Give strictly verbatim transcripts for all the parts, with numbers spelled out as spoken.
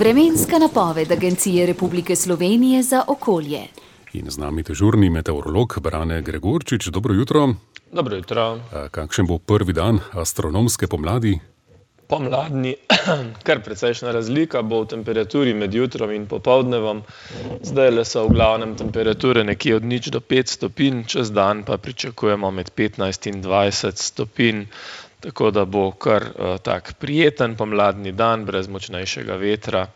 Vremenska napoved Agencije Republike Slovenije za okolje. In z nami dežurni meteorolog Brane Gregorčič. Dobro jutro. Dobro jutro. Kakšen bo prvi dan astronomske pomladi? Pomladni, kar precejšna razlika bo v temperaturi med jutrom in popoldnevom. Zdajle so v glavnem temperature nekje od nič do pet stopinj, čez dan pa pričakujemo med petnajst in dvajset stopinj. Tako da bo kar uh, tak prijeten pomladni dan, brez močnejšega vetra.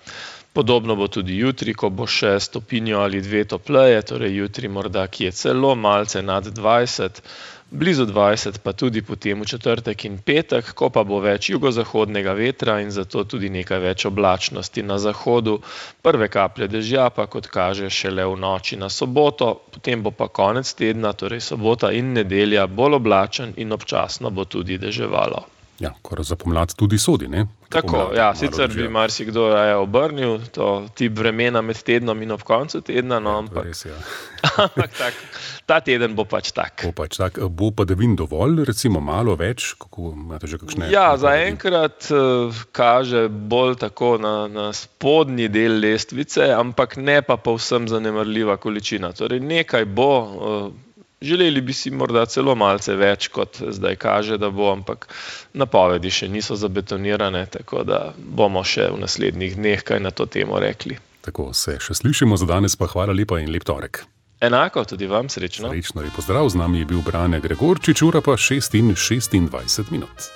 Podobno bo tudi jutri, ko bo še stopinjo ali dve topleje, torej jutri morda kje celo malce nad dvajset, blizu dvajset pa tudi potem v četrtek in petek, ko pa bo več jugozahodnega vetra in zato tudi nekaj več oblačnosti na zahodu. Prve kaplje dežja pa, kot kaže, šele v noči na soboto, potem bo pa konec tedna, torej sobota in nedelja, bolj oblačen in občasno bo tudi deževalo. Ja, kar za pomlad tudi sodi, ne? Tako, pomlad, ja, sicer bi marsikdo raje obrnil to tip vremena med tednom in ob koncu tedna, no, ampak, res, ja. ampak tak, ta teden bo pač tak. Bo pač tak, bo padavin dovolj, recimo malo več, kako imate že kakšne? Ja, zaenkrat uh, kaže bolj tako na, na spodnji del lestvice, ampak ne pa povsem zanemarljiva količina. Torej nekaj bo, uh, želeli bi si morda celo malce več, kot zdaj kaže, da bo, ampak napovedi še niso zabetonirane, tako da bomo še v naslednjih dneh kaj na to temo rekli. Tako, se še slišimo za danes, pa hvala lepa in lep torek. Enako, tudi vam srečno. Srečno in pozdrav, z nami je bil Brane Gregorčič, ura pa šest in šestindvajset minut.